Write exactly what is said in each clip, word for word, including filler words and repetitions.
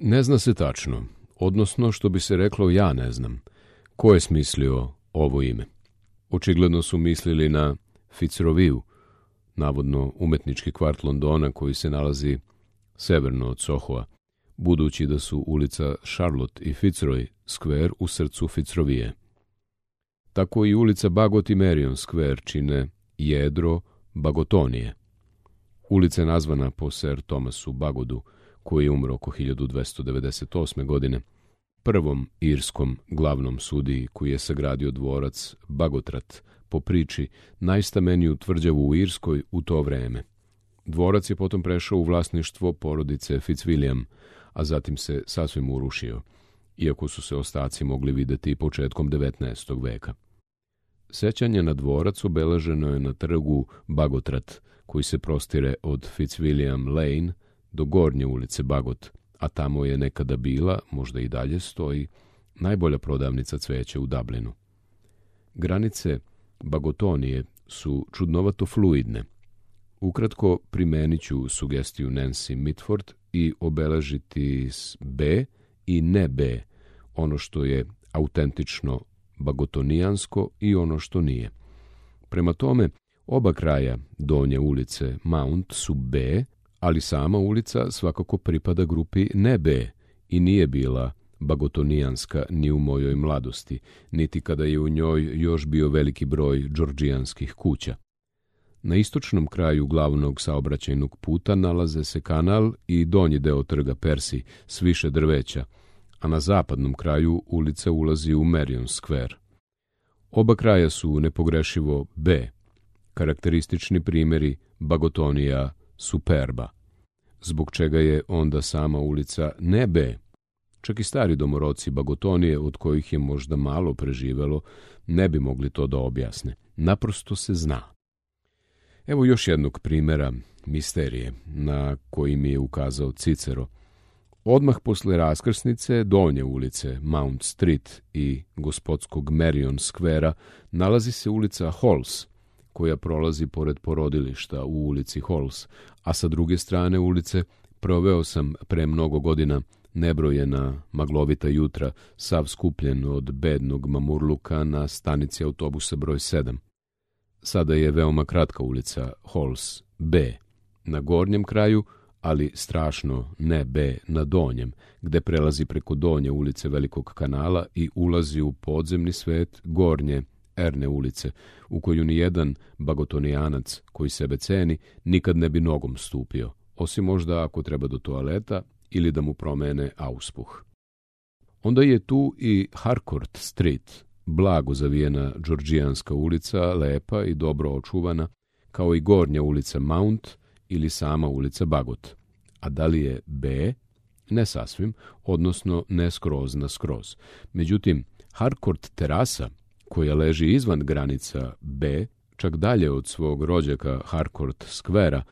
Ne zna se tačno, odnosno što bi se reklo ja ne znam, ko je smislio ovo ime. Očigledno su mislili na Fitzroviju, navodno umetnički kvart Londona koji se nalazi severno od Sohoa, budući da su ulica Charlotte i Fitzroy Square u srcu Fitzrovije. Tako i ulica Bagot i Marion Square čine jedro Bagotonije. Ulica je nazvana po Sir Thomasu Bagodu, koji je umro oko hiljadu dvesta devedeset osme. godine, prvom irskom glavnom sudiji koji je sagradio dvorac Bagotrat, po priči najstameniju tvrđavu u Irskoj u to vreme. Dvorac je potom prešao u vlasništvo porodice Fitzwilliam, a zatim se sasvim urušio, iako su se ostaci mogli videti početkom devetnaestog. veka. Sećanje na dvorac obeleženo je na trgu Bagotrat, koji se prostire od Fitzwilliam Lane do gornje ulice Bagot, a tamo je nekada bila, možda i dalje stoji, najbolja prodavnica cveća u Dublinu. Granice Bagotonije su čudnovato fluidne. Ukratko primenit ću sugestiju Nancy Mitford i obeležiti s B i ne B, ono što je autentično bagotonijansko i ono što nije. Prema tome, oba kraja donje ulice Mount su B, ali sama ulica svakako pripada grupi ne B i nije bila bagotonijanska ni u mojoj mladosti, niti kada je u njoj još bio veliki broj džordžijanskih kuća. Na istočnom kraju glavnog saobraćajnog puta nalaze se kanal i donji deo trga Persi s više drveća, a na zapadnom kraju ulica ulazi u Marion Square. Oba kraja su nepogrešivo B, karakteristični primjeri Bagotonija superba, zbog čega je onda sama ulica ne B. Čak i stari domoroci Bagotonije, od kojih je možda malo preživelo, ne bi mogli to da objasne. Naprosto se zna. Evo još jednog primjera misterije na koji mi je ukazao Cicero. Odmah posle raskrsnice donje ulice Mount Street i gospodskog Marion Square-a nalazi se ulica Halls, koja prolazi pored porodilišta u ulici Halls, a sa druge strane ulice proveo sam pre mnogo godina nebrojena maglovita jutra, sav skupljen od bednog mamurluka na stanici autobusa broj sedam. Sada je veoma kratka ulica Halls B na gornjem kraju, ali strašno ne B na donjem, gde prelazi preko donje ulice Velikog kanala i ulazi u podzemni svet gornje Erne ulice, u koju ni jedan bagotonijanac koji sebe ceni nikad ne bi nogom stupio, osim možda ako treba do toaleta ili da mu promene auspuh. Onda je tu i Harcourt Street, blago zavijena džordžijanska ulica, lepa i dobro očuvana, kao i gornja ulica Mount ili sama ulica Bagot. A da li je B? Ne sasvim, odnosno ne skroz na skroz. Međutim, Harcourt terasa, koja leži izvan granica B, čak dalje od svog rođaka Harcourt Square-a,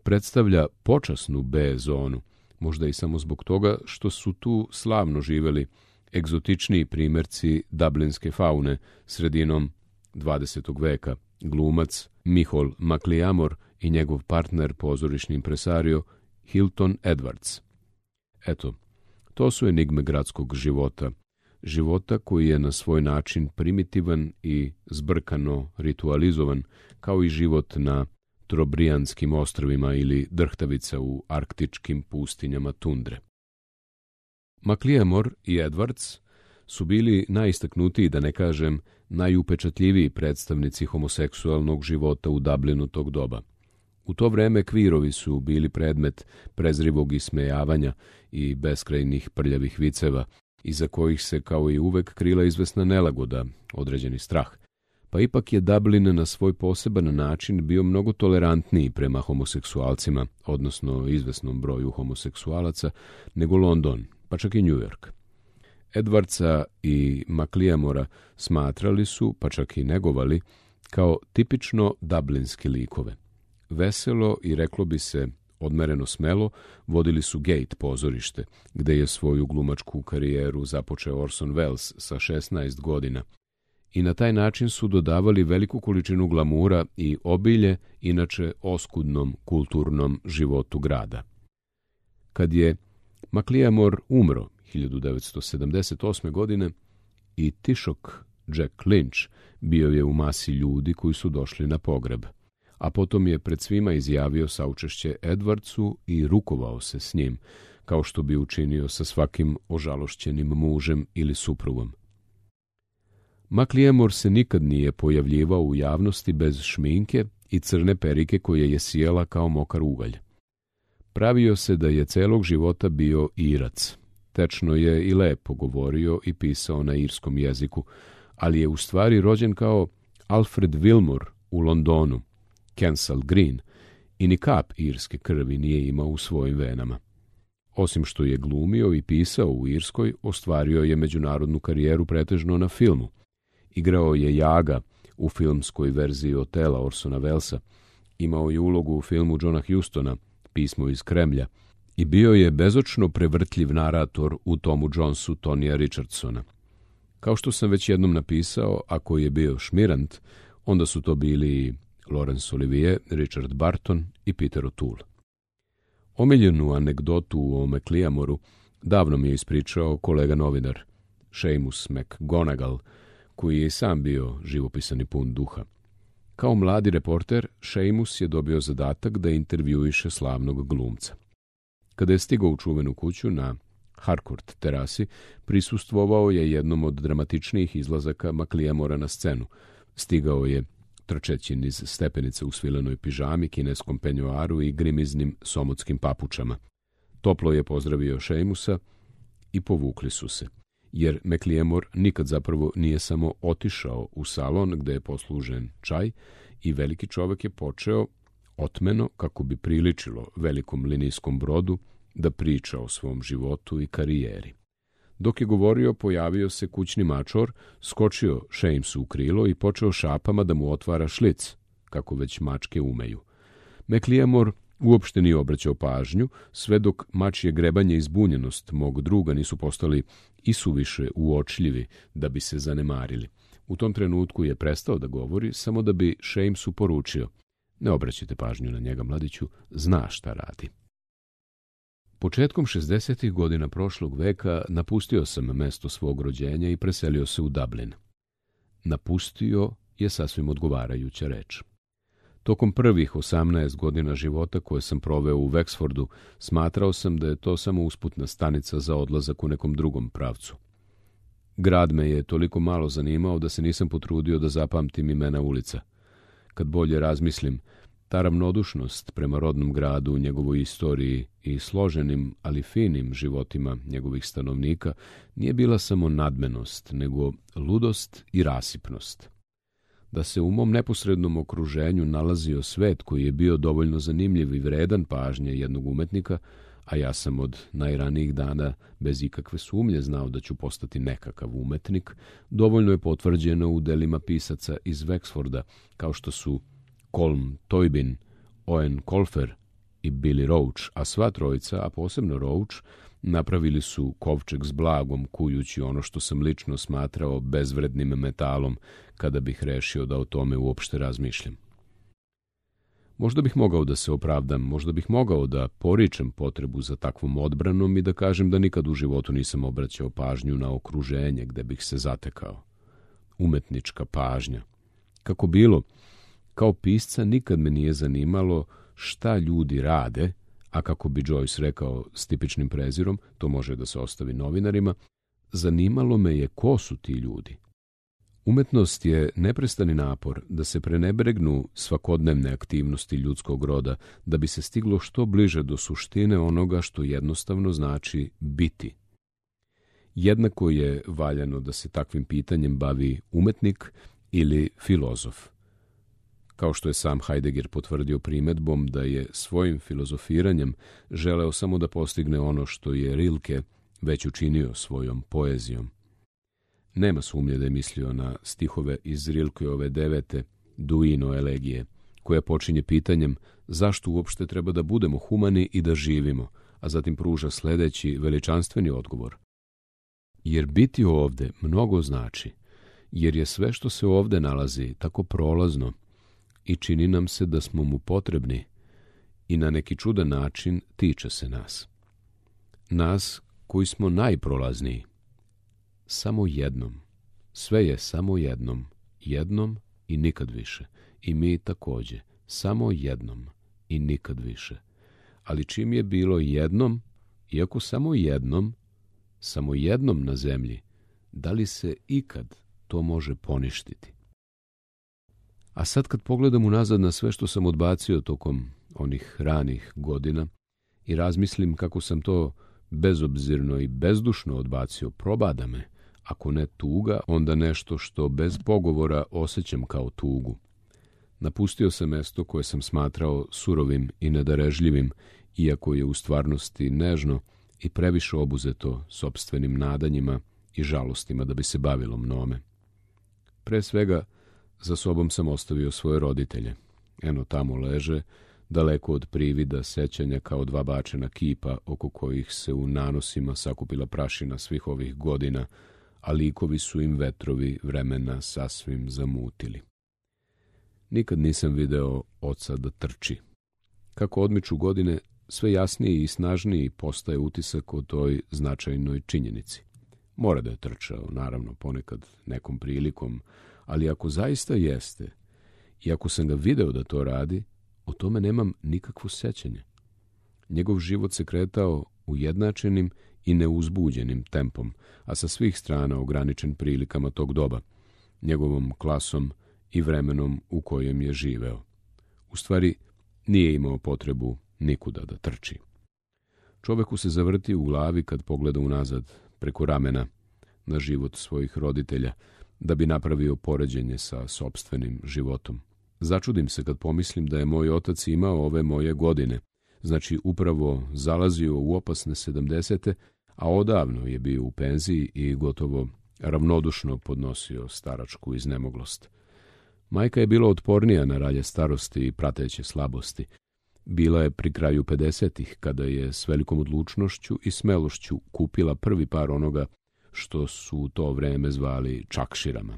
predstavlja počasnu B zonu, možda i samo zbog toga što su tu slavno živeli egzotičniji primjerci dublinske faune sredinom dvadesetog veka, glumac Michael McLeamore i njegov partner pozorišni impresario Hilton Edwards. Eto, to su enigme gradskog života, života koji je na svoj način primitivan i zbrkano ritualizovan, kao i život na Trobrijanskim ostrvima ili drhtavica u arktičkim pustinjama tundre. McLeamore i Edwards su bili najistaknutiji, da ne kažem, najupečatljiviji predstavnici homoseksualnog života u Dublinu tog doba. U to vreme kvirovi su bili predmet prezrivog ismejavanja i beskrajnih prljavih viceva, iza kojih se kao i uvek krila izvesna nelagoda, određeni strah. Pa ipak je Dublin na svoj poseban način bio mnogo tolerantniji prema homoseksualcima, odnosno izvesnom broju homoseksualaca, nego London, pa čak i New York. Edwardsa i McLeamora smatrali su, pa čak i negovali, kao tipično dublinske likove. Veselo i, reklo bi se, odmereno smelo, vodili su Gate pozorište, gde je svoju glumačku karijeru započeo Orson Welles sa šesnaest godina. I na taj način su dodavali veliku količinu glamura i obilje inače oskudnom kulturnom životu grada. Kad je McLiamore umro hiljadu devetsto sedamdeset osme. godine i tišok Jack Lynch bio je u masi ljudi koji su došli na pogreb, a potom je pred svima izjavio saučešće Edwardsu i rukovao se s njim, kao što bi učinio sa svakim ožalošćenim mužem ili suprugom. McLiamore se nikad nije pojavljivao u javnosti bez šminke i crne perike koje je sijala kao mokar ugalj. Pravio se da je celog života bio Irac. Tečno je i lepo govorio i pisao na irskom jeziku, ali je u stvari rođen kao Alfred Wilmore u Londonu, Kensal Green, i ni kap irske krvi nije imao u svojim venama. Osim što je glumio i pisao u Irskoj, ostvario je međunarodnu karijeru pretežno na filmu. Igrao je Jaga u filmskoj verziji Otela Orsona Wellesa, imao je ulogu u filmu Johna Hustona, Pismo iz Kremlja, i bio je bezočno prevrtljiv narator u Tomu Jonesu Tonija Richardsona. Kao što sam već jednom napisao, ako je bio šmirant, onda su to bili Laurence Olivier, Richard Barton i Peter O'Toole. Omiljenu anegdotu o McLiamoru davno mi je ispričao kolega novinar Seamus McGonagall, koji je i sam bio živopisan i pun duha. Kao mladi reporter, Seamus je dobio zadatak da intervjuiše slavnog glumca. Kada je stigao u čuvenu kuću na Harcourt terasi, prisustvovao je jednom od dramatičnijih izlazaka McLiamora na scenu. Stigao je trčeći niz stepenica u svilenoj pižami, kineskom penjoaru i grimiznim somotskim papučama. Toplo je pozdravio Seamusa i povukli su se, jer McLiamore nikad zapravo nije samo otišao u salon gde je poslužen čaj i veliki čovek je počeo otmeno, kako bi priličilo velikom linijskom brodu, da priča o svom životu i karijeri. Dok je govorio, pojavio se kućni mačor, skočio Seamusu u krilo i počeo šapama da mu otvara šlic, kako već mačke umeju. McLiamore uopšte nije obraćao pažnju, sve dok mačje grebanje i zbunjenost mog druga nisu postali isuviše uočljivi da bi se zanemarili. U tom trenutku je prestao da govori, samo da bi Seamusu poručio: ne obraćajte pažnju na njega, mladiću, zna šta radi. Početkom šezdesetih godina prošlog veka napustio sam mesto svog rođenja i preselio se u Dublin. Napustio je sasvim odgovarajuća reč. Tokom prvih osamnaest godina života koje sam proveo u Wexfordu, smatrao sam da je to samo usputna stanica za odlazak u nekom drugom pravcu. Grad me je toliko malo zanimao da se nisam potrudio da zapamtim imena ulica. Kad bolje razmislim, ta ravnodušnost prema rodnom gradu, njegovoj istoriji i složenim, ali finim životima njegovih stanovnika nije bila samo nadmenost, nego ludost i rasipnost. Da se u mom neposrednom okruženju nalazio svet koji je bio dovoljno zanimljiv i vredan pažnje jednog umetnika, a ja sam od najranijih dana bez ikakve sumnje znao da ću postati nekakav umetnik, dovoljno je potvrđeno u delima pisaca iz Wexforda, kao što su Colm Toybin, Owen Colfer i Billy Roach, a sva trojica, a posebno Roach, napravili su kovčeg s blagom, kujući ono što sam lično smatrao bezvrednim metalom, kada bih rešio da o tome uopšte razmišljam. Možda bih mogao da se opravdam, možda bih mogao da poričem potrebu za takvom odbranom i da kažem da nikad u životu nisam obraćao pažnju na okruženje gde bih se zatekao. Umetnička pažnja. Kako bilo, kao pisca nikad me nije zanimalo šta ljudi rade, a kako bi Joyce rekao s tipičnim prezirom, to može da se ostavi novinarima, zanimalo me je ko su ti ljudi. Umetnost je neprestani napor da se prenebregnu svakodnevne aktivnosti ljudskog roda, da bi se stiglo što bliže do suštine onoga što jednostavno znači biti. Jednako je valjano da se takvim pitanjem bavi umetnik ili filozof. Kao što je sam Heidegger potvrdio primedbom da je svojim filozofiranjem želeo samo da postigne ono što je Rilke već učinio svojom poezijom. Nema sumnje da je mislio na stihove iz Rilkeove devete Duino elegije, koja počinje pitanjem zašto uopšte treba da budemo humani i da živimo, a zatim pruža sledeći veličanstveni odgovor. Jer biti ovde mnogo znači, jer je sve što se ovde nalazi tako prolazno i čini nam se da smo mu potrebni i na neki čudan način tiče se nas. nas koji smo najprolazniji. Samo jednom. Sve je samo jednom. Jednom i nikad više. I mi također. Samo jednom i nikad više. Ali čim je bilo jednom, iako samo jednom, samo jednom na zemlji, da li se ikad to može poništiti? A sad kad pogledam unazad na sve što sam odbacio tokom onih ranih godina i razmislim kako sam to bezobzirno i bezdušno odbacio, probada me, ako ne tuga, onda nešto što bez pogovora osjećam kao tugu. Napustio sam mesto koje sam smatrao surovim i nedarežljivim, iako je u stvarnosti nežno i previše obuzeto sopstvenim nadanjima i žalostima da bi se bavilo mnome. Pre svega, za sobom sam ostavio svoje roditelje. Eno tamo leže, daleko od privida sećanja kao dva bačena kipa oko kojih se u nanosima sakupila prašina svih ovih godina, a likovi su im vetrovi vremena sasvim zamutili. Nikad nisam video oca da trči. Kako odmiču godine, sve jasniji i snažniji postaje utisak o toj značajnoj činjenici. Mora da je trčao, naravno, ponekad nekom prilikom, ali ako zaista jeste, i ako sam ga video da to radi, o tome nemam nikakvo sećanje. Njegov život se kretao ujednačenim i neuzbuđenim tempom, a sa svih strana ograničen prilikama tog doba, njegovom klasom i vremenom u kojem je živeo. U stvari, nije imao potrebu nikuda da trči. Čoveku se zavrti u glavi kad pogleda unazad, preko ramena, na život svojih roditelja, da bi napravio poređenje sa sopstvenim životom. Začudim se kad pomislim da je moj otac imao ove moje godine, znači upravo zalazio u opasne sedamdesete, a odavno je bio u penziji i gotovo ravnodušno podnosio staračku iznemoglost. Majka je bila otpornija na ralje starosti i prateće slabosti. Bila je pri kraju pedesetih, kada je s velikom odlučnošću i smelošću kupila prvi par onoga što su u to vreme zvali čakširama.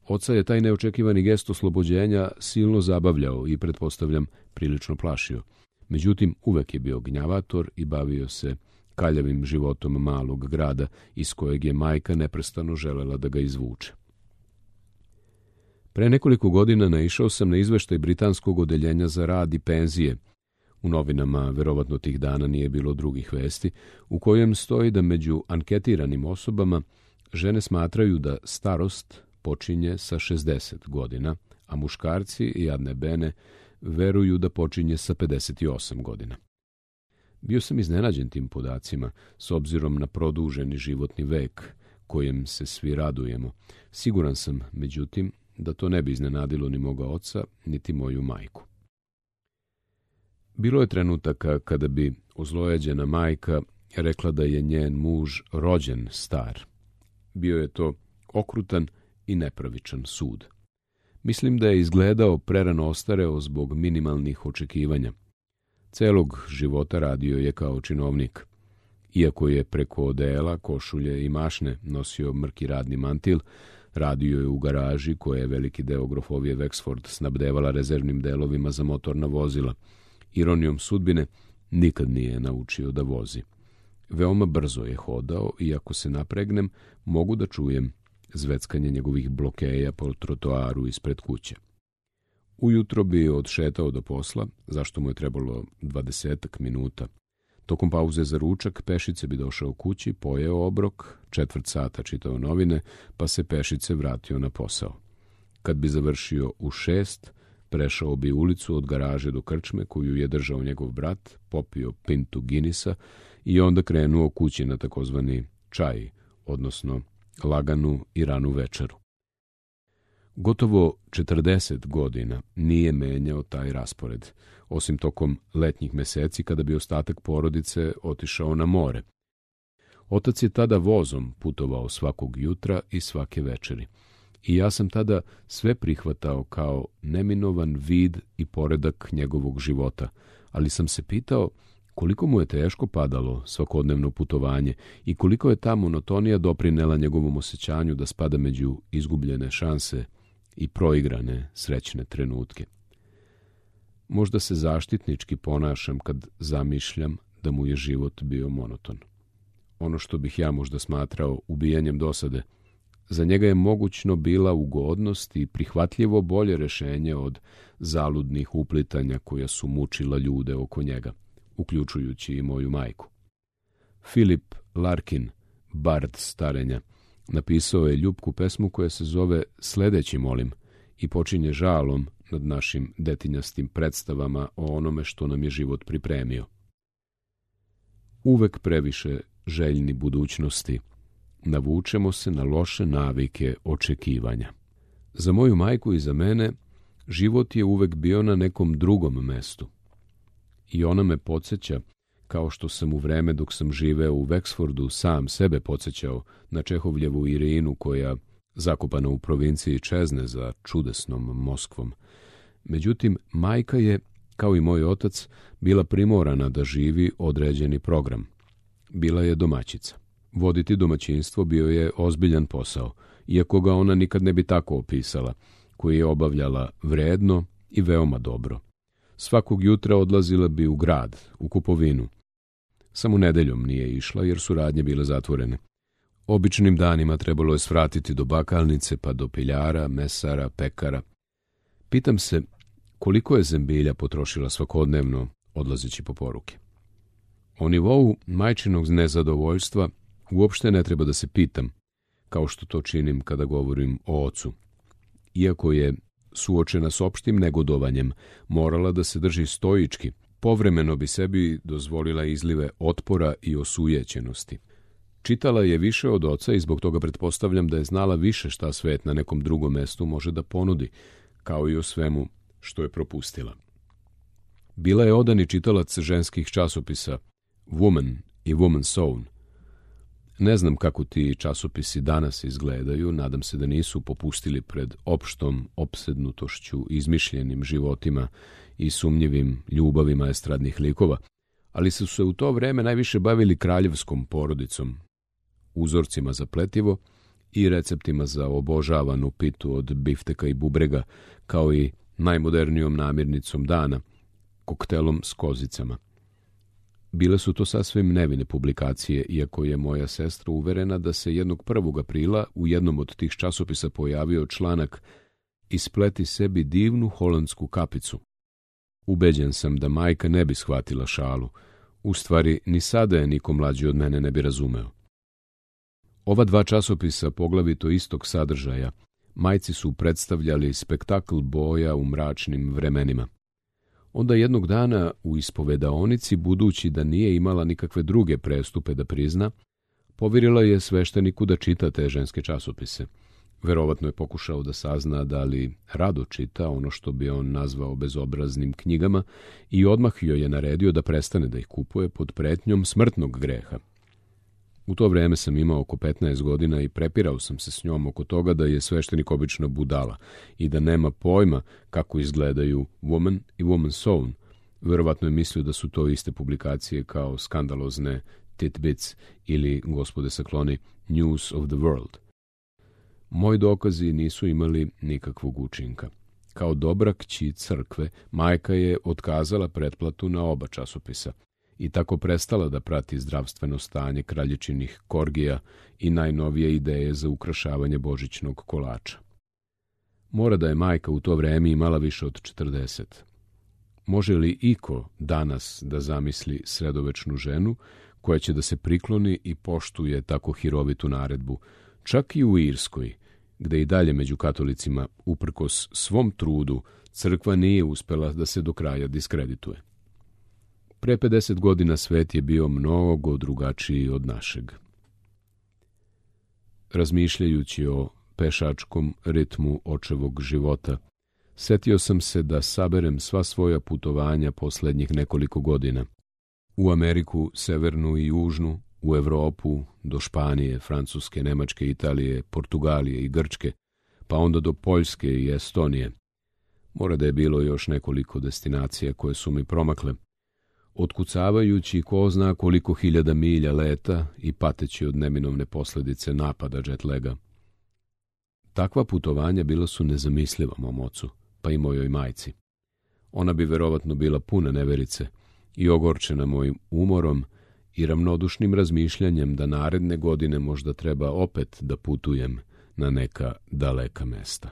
Oca je taj neočekivani gest oslobođenja silno zabavljao i, pretpostavljam, prilično plašio. Međutim, uvek je bio gnjavator i bavio se kaljavim životom malog grada iz kojeg je majka neprestano želela da ga izvuče. Pre nekoliko godina naišao sam na izveštaj britanskog odeljenja za rad i penzije. U novinama, verovatno tih dana nije bilo drugih vesti, u kojem stoji da među anketiranim osobama žene smatraju da starost počinje sa šezdeset godina, a muškarci i adne bene veruju da počinje sa pedeset osam godina. Bio sam iznenađen tim podacima, s obzirom na produženi životni vek, kojem se svi radujemo. Siguran sam, međutim, da to ne bi iznenadilo ni moga oca, niti moju majku. Bilo je trenutaka kada bi ozlojeđena majka rekla da je njen muž rođen star. Bio je to okrutan i nepravičan sud. Mislim da je izgledao prerano ostareo zbog minimalnih očekivanja. Celog života radio je kao činovnik. Iako je preko odela, košulje i mašne nosio mrki radni mantil, radio je u garaži koje je veliki deo grofovije Wexford snabdevala rezervnim delovima za motorna vozila. Ironijom sudbine, nikad nije naučio da vozi. Veoma brzo je hodao i ako se napregnem, mogu da čujem zveckanje njegovih blokeja po trotoaru ispred kuće. Ujutro bi odšetao do posla, zašto mu je trebalo dvadesetak minuta. Tokom pauze za ručak pešice bi došao kući, pojeo obrok, četvrt sata čitao novine, pa se pešice vratio na posao. Kad bi završio u šest, prešao bi ulicu od garaže do krčme koju je držao njegov brat, popio pintu Guinnessa i onda krenuo kući na takozvani čaj, odnosno laganu i ranu večeru. Gotovo četrdeset godina nije menjao taj raspored, osim tokom letnjih meseci kada bi ostatak porodice otišao na more. Otac je tada vozom putovao svakog jutra i svake večeri. I ja sam tada sve prihvatao kao neminovan vid i poredak njegovog života, ali sam se pitao koliko mu je teško padalo svakodnevno putovanje i koliko je ta monotonija doprinela njegovom osjećanju da spada među izgubljene šanse i proigrane srećne trenutke. Možda se zaštitnički ponašam kad zamišljam da mu je život bio monoton. Ono što bih ja možda smatrao ubijanjem dosade, za njega je mogućno bila ugodnost i prihvatljivo bolje rešenje od zaludnih uplitanja koja su mučila ljude oko njega, uključujući i moju majku. Philip Larkin, bard starenja, napisao je ljubku pesmu koja se zove Sledeći molim i počinje žalom nad našim detinjastim predstavama o onome što nam je život pripremio. Uvek previše željni budućnosti, navučemo se na loše navike očekivanja. Za moju majku i za mene život je uvek bio na nekom drugom mestu. I ona me podsjeća, kao što sam u vreme dok sam živeo u Wexfordu sam sebe podsjećao na Čehovljevu Irinu koja, zakopana u provinciji, čezne za čudesnom Moskvom. Međutim, majka je, kao i moj otac, bila primorana da živi određeni program. Bila je domaćica. Voditi domaćinstvo bio je ozbiljan posao, iako ga ona nikad ne bi tako opisala, koji je obavljala vredno i veoma dobro. Svakog jutra odlazila bi u grad, u kupovinu. Samo nedeljom nije išla jer su radnje bile zatvorene. Običnim danima trebalo je svratiti do bakalnice, pa do piljara, mesara, pekara. Pitam se koliko je zembilja potrošila svakodnevno odlazeći po poruke. O nivou majčinog nezadovoljstva uopšte ne treba da se pitam, kao što to činim kada govorim o ocu. Iako je, suočena s opštim negodovanjem, morala da se drži stoički, povremeno bi sebi dozvolila izlive otpora i osujećenosti. Čitala je više od oca i zbog toga pretpostavljam da je znala više šta svet na nekom drugom mestu može da ponudi, kao i o svemu što je propustila. Bila je odani čitalac ženskih časopisa Woman i Woman's Own. Ne znam kako ti časopisi danas izgledaju, nadam se da nisu popustili pred opštom opsednutošću, izmišljenim životima i sumnjivim ljubavima estradnih likova, ali su se u to vreme najviše bavili kraljevskom porodicom, uzorcima za pletivo i receptima za obožavanu pitu od bifteka i bubrega, kao i najmodernijom namirnicom dana, koktelom s kozicama. Bile su to sasvim nevine publikacije, iako je moja sestra uverena da se jednog prvog aprila u jednom od tih časopisa pojavio članak "Ispleti sebi divnu holandsku kapicu". Ubeđen sam da majka ne bi shvatila šalu, u stvari ni sada je niko mlađi od mene ne bi razumeo. Ova dva časopisa poglavito istog sadržaja majci su predstavljali spektakl boja u mračnim vremenima. Onda jednog dana u ispovedaonici, budući da nije imala nikakve druge prestupe da prizna, povirila je svešteniku da čita te ženske časopise. Verovatno je pokušao da sazna da li rado čita ono što bi on nazvao bezobraznim knjigama i odmah joj je naredio da prestane da ih kupuje pod pretnjom smrtnog greha. U to vreme sam imao oko petnaest godina i prepirao sam se s njom oko toga da je sveštenik obična budala i da nema pojma kako izgledaju Woman i Woman's Own. Verovatno je mislio da su to iste publikacije kao skandalozne Titbits ili, gospode sakloni, News of the World. Moji dokazi nisu imali nikakvog učinka. Kao dobra kći crkve, majka je otkazala pretplatu na oba časopisa i tako prestala da prati zdravstveno stanje kraljičinih korgija i najnovije ideje za ukrašavanje božićnog kolača. Mora da je majka u to vreme imala više od četrdeset. Može li iko danas da zamisli sredovečnu ženu koja će da se prikloni i poštuje tako hirovitu naredbu, čak i u Irskoj, gde i dalje među katolicima, uprkos svom trudu, crkva nije uspela da se do kraja diskredituje. Pre pedeset godina svet je bio mnogo drugačiji od našeg. Razmišljajući o pešačkom ritmu očevog života, setio sam se da saberem sva svoja putovanja poslednjih nekoliko godina. U Ameriku, severnu i južnu, u Evropu, do Španije, Francuske, Nemačke, Italije, Portugalije i Grčke, pa onda do Poljske i Estonije. Mora da je bilo još nekoliko destinacija koje su mi promakle, otkucavajući ko zna koliko hiljada milja leta i pateći od neminovne posledice napada jet laga. Takva putovanja bila su nezamisliva mom ocu, pa i mojoj majci. Ona bi verovatno bila puna neverice, i ogorčena mojim umorom i ravnodušnim razmišljanjem da naredne godine možda treba opet da putujem na neka daleka mesta.